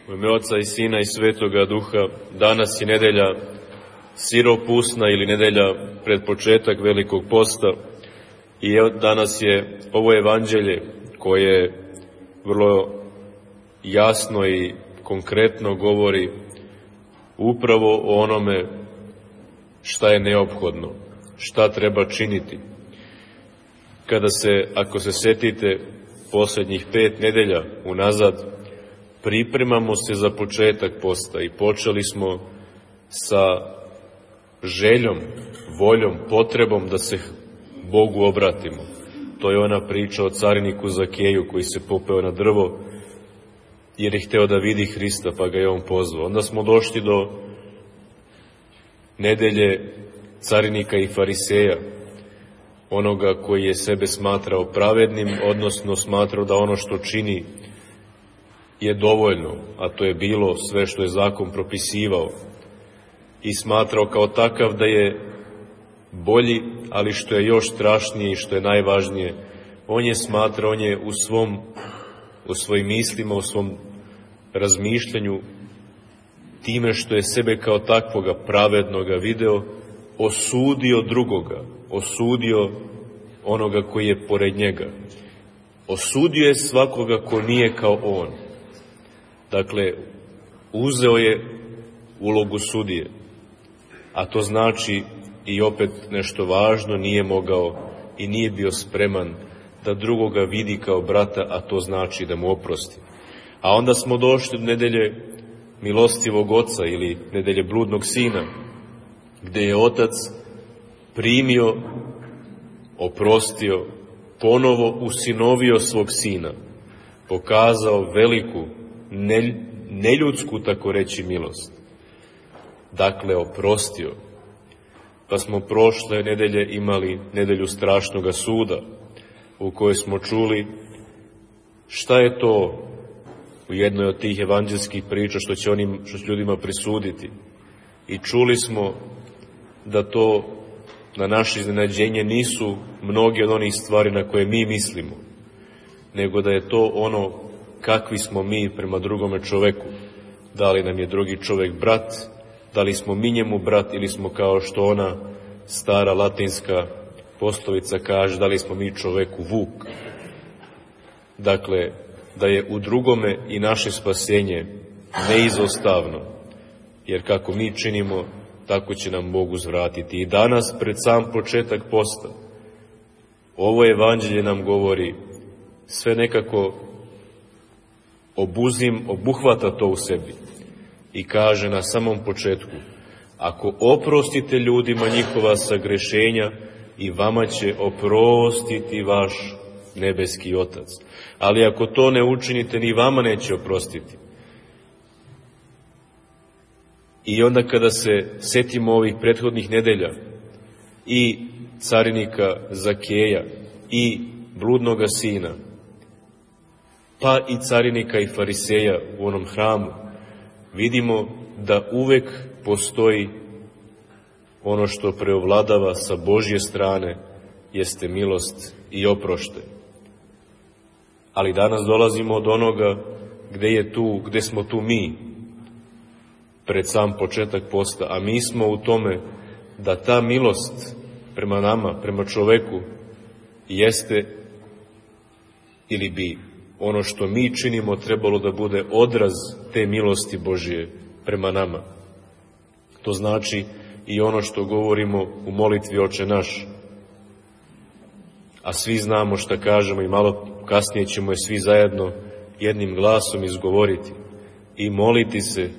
U ime Oca i Sina i Svetoga Duha, danas je nedelja siropusna ili nedelja pred početak Velikog posta i danas je ovo evanđelje koje vrlo jasno i konkretno govori upravo o onome šta je neophodno, šta treba činiti. Ako se setite posljednjih 5 nedelja unazad, pripremamo se za početak posta i počeli smo sa željom, voljom, potrebom da se Bogu obratimo. To je ona priča o cariniku Zakeju koji se popeo na drvo jer je hteo da vidi Hrista, pa ga je on pozvao. Onda smo došli do nedelje carinika i fariseja, onoga koji je sebe smatrao pravednim, odnosno smatrao da ono što čini je dovoljno, a to je bilo sve što je zakon propisivao, i smatrao kao takav da je bolji, ali što je još strašnije i što je najvažnije, on je u svojim mislima, u svom razmišljanju, time što je sebe kao takvoga pravednoga video, osudio drugoga, osudio onoga koji je pored njega. Osudio je svakoga ko nije kao on. Dakle, uzeo je ulogu sudije, a to znači i opet nešto važno, nije mogao i nije bio spreman da drugoga vidi kao brata, a to znači da mu oprosti. A onda smo došli do nedelje milostivog oca ili nedelje bludnog sina, gde je otac primio, oprostio, ponovo usinovio svog sina, pokazao veliku, neljudsku, tako reći, milost. Dakle, oprostio. Pa smo prošle nedelje imali nedelju strašnoga suda, u kojoj smo čuli šta je to u jednoj od tih evanđelskih priča što će ljudima prisuditi. I čuli smo da to na naše iznenađenje nisu mnoge od onih stvari na koje mi mislimo, nego da je to ono kakvi smo mi prema drugome čoveku. Da li nam je drugi čovek brat, da li smo mi njemu brat ili smo, kao što ona stara latinska poslovica kaže, da li smo mi čoveku vuk. Dakle, da je u drugome i naše spasenje neizostavno, jer kako mi činimo, tako će nam Bog uzvratiti. I danas, pred sam početak posta, ovo evanđelje nam govori, sve nekako obuhvata to u sebi i kaže na samom početku: ako oprostite ljudima njihova sagrešenja, i vama će oprostiti vaš nebeski Otac. Ali ako to ne učinite, ni vama neće oprostiti. I onda kada se setimo ovih prethodnih nedelja i carinika Zakeja i bludnoga sina, pa i carinika i fariseja u onom hramu, vidimo da uvek postoji ono što preovladava sa Božje strane, jeste milost i oproštaj. Ali danas dolazimo od onoga gde smo tu mi, pred sam početak posta, a mi smo u tome da ta milost prema nama, prema čoveku, jeste ili bi ono što mi činimo trebalo da bude odraz te milosti Božje prema nama. To znači i ono što govorimo u molitvi Oče naš, a svi znamo šta kažemo i malo kasnije ćemo je svi zajedno jednim glasom izgovoriti i moliti se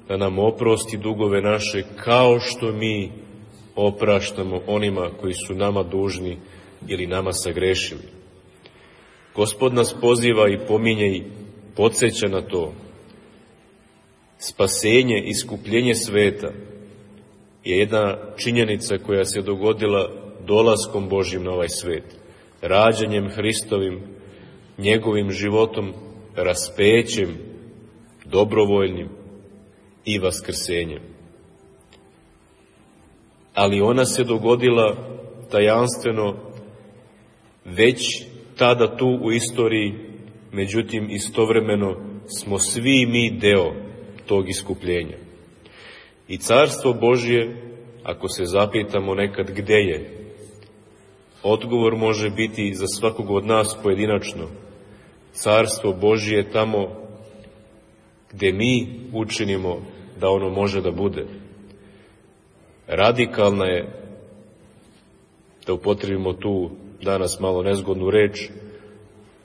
da nam oprosti dugove naše, kao što mi opraštamo onima koji su nama dužni ili nama sagrešili. Gospod nas poziva i pominje i podsjeća na to. Spasenje, iskupljenje sveta je jedna činjenica koja se dogodila dolaskom Božjim na ovaj svet, rađanjem Hristovim, njegovim životom, raspećem, dobrovoljnim i vaskrsenjem. Ali ona se dogodila tajanstveno već tada tu u istoriji, međutim istovremeno smo svi mi deo tog iskupljenja. I Carstvo Božje, ako se zapitamo nekad gde je, odgovor može biti za svakog od nas pojedinačno. Carstvo Božje je tamo gde mi učinimo da ono može da bude. Radikalna je, da upotrebimo tu danas malo nezgodnu reč,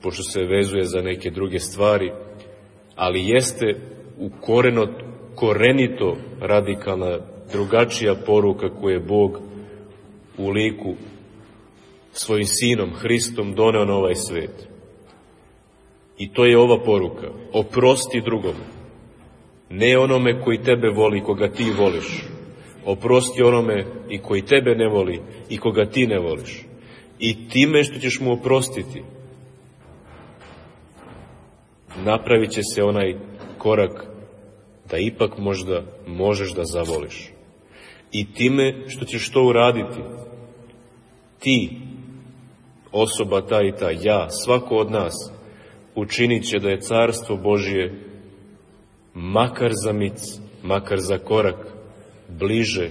pošto se vezuje za neke druge stvari, ali jeste korenito radikalna, drugačija poruka koju je Bog u liku svojim Sinom, Hristom, doneo na ovaj svet. I to je ova poruka. Oprosti drugom. Ne onome koji tebe voli, koga ti voliš. Oprosti onome i koji tebe ne voli i koga ti ne voliš. I time što ćeš mu oprostiti, napravit će se onaj korak da ipak možda možeš da zavoliš. I time što ćeš to uraditi, ti, osoba ta i ta, ja, svako od nas, učinit će da je Carstvo Božje makar za mic, makar za korak, bliže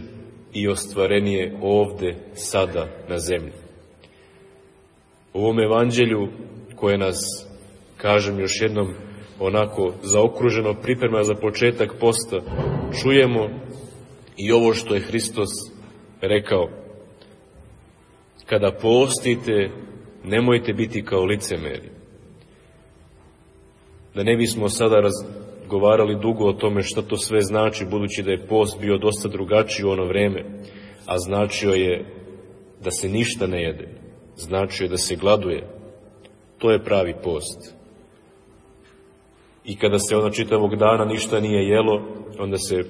i ostvarenije ovde, sada, na zemlji. U ovom evanđelju koje nas, kažem još jednom, onako zaokruženo priprema za početak posta, čujemo i ovo što je Hristos rekao. Kada postite, nemojte biti kao licemeri. Da ne bismo sada razgovarali dugo o tome šta to sve znači, budući da je post bio dosta drugačiji u ono vreme, a značio je da se ništa ne jede, značio je da se gladuje. To je pravi post. I kada se ono čitavog dana ništa nije jelo, onda se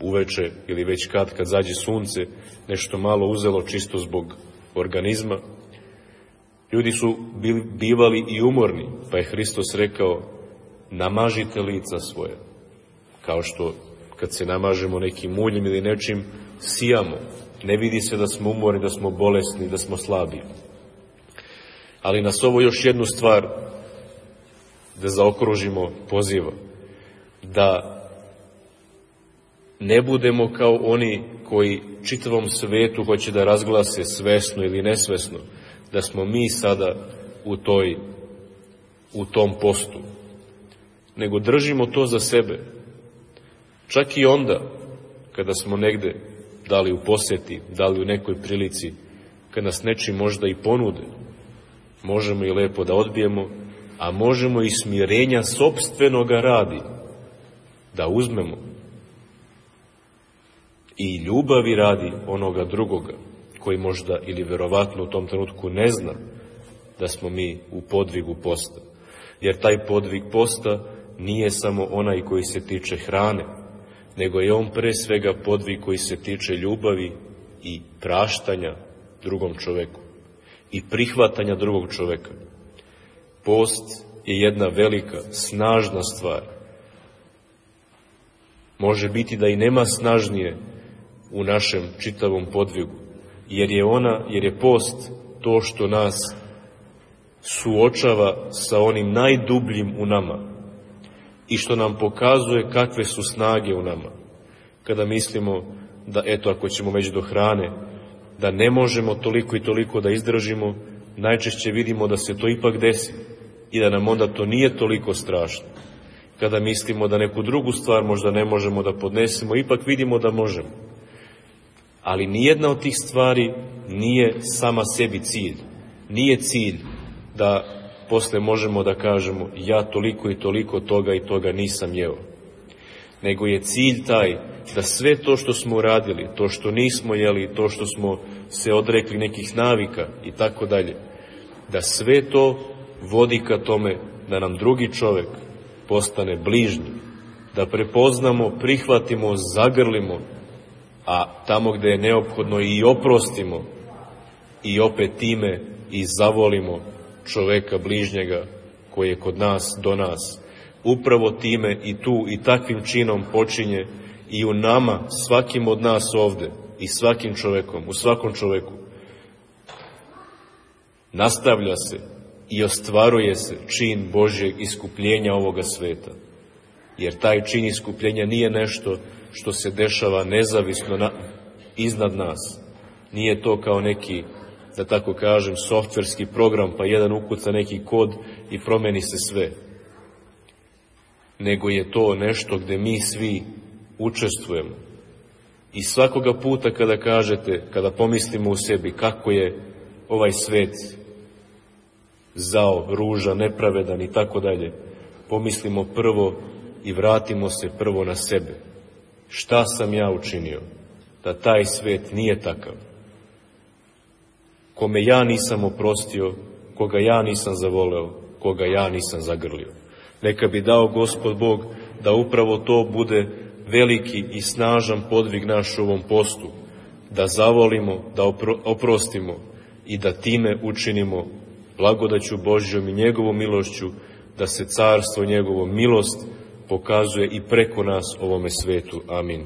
uveče ili već kad zađe sunce, nešto malo uzelo čisto zbog organizma. Ljudi su bivali i umorni, pa je Hristos rekao, namažite lica svoje. Kao što kad se namažemo nekim muljem ili nečim, sijamo. Ne vidi se da smo umorni, da smo bolesni, da smo slabi. Ali nas ovo još jednu stvar da zaokružimo poziva. Da ne budemo kao oni koji čitavom svetu hoće da razglase svesno ili nesvesno, da smo mi sada u tom postu. Nego držimo to za sebe. Čak i onda, kada smo negde, da li u poseti, da li u nekoj prilici, kad nas nečim možda i ponude, možemo i lepo da odbijemo, a možemo i smirenja sopstvenoga radi da uzmemo. I ljubavi radi onoga drugoga, koji možda ili verovatno u tom trenutku ne zna da smo mi u podvigu posta. Jer taj podvig posta nije samo onaj koji se tiče hrane, nego je on pre svega podvig koji se tiče ljubavi i praštanja drugom čoveku i prihvatanja drugog čoveka. Post je jedna velika, snažna stvar. Može biti da i nema snažnije u našem čitavom podvigu, jer je post to što nas suočava sa onim najdubljim u nama i što nam pokazuje kakve su snage u nama. Kada mislimo da, eto, ako ćemo već do hrane, da ne možemo toliko i toliko da izdržimo, najčešće vidimo da se to ipak desi i da nam onda to nije toliko strašno. Kada mislimo da neku drugu stvar možda ne možemo da podnesemo, ipak vidimo da možemo. Ali nijedna od tih stvari nije sama sebi cilj. Nije cilj da posle možemo da kažemo ja toliko i toliko toga i toga nisam jeo. Nego je cilj taj da sve to što smo uradili, to što nismo jeli, to što smo se odrekli nekih navika i tako dalje, da sve to vodi ka tome da nam drugi čovek postane bližnji, da prepoznamo, prihvatimo, zagrlimo, a tamo gde je neophodno i oprostimo i opet time i zavolimo čoveka bližnjega koji je kod nas, do nas. Upravo time i tu i takvim činom počinje i u nama, svakim od nas ovde i svakim čovekom, u svakom čoveku. Nastavlja se i ostvaruje se čin Božjeg iskupljenja ovoga sveta. Jer taj čin iskupljenja nije nešto što se dešava nezavisno iznad nas. Nije to kao neki, da tako kažem, softverski program, pa jedan ukuca neki kod i promeni se sve. Nego je to nešto gde mi svi učestvujemo. I svakoga puta kada kažete, kada pomislimo u sebi kako je ovaj svet zao, ružan, nepravedan i tako dalje, pomislimo prvo i vratimo se prvo na sebe. Šta sam ja učinio da taj svet nije takav? Kome ja nisam oprostio, koga ja nisam zavoleo, koga ja nisam zagrlio. Neka bi dao Gospod Bog da upravo to bude veliki i snažan podvig naš u ovom postu, da zavolimo, da oprostimo i da time učinimo blagodaću Božjom i njegovom milošću, da se carstvo njegovo milost pokazuje i preko nas ovome svetu. Amin.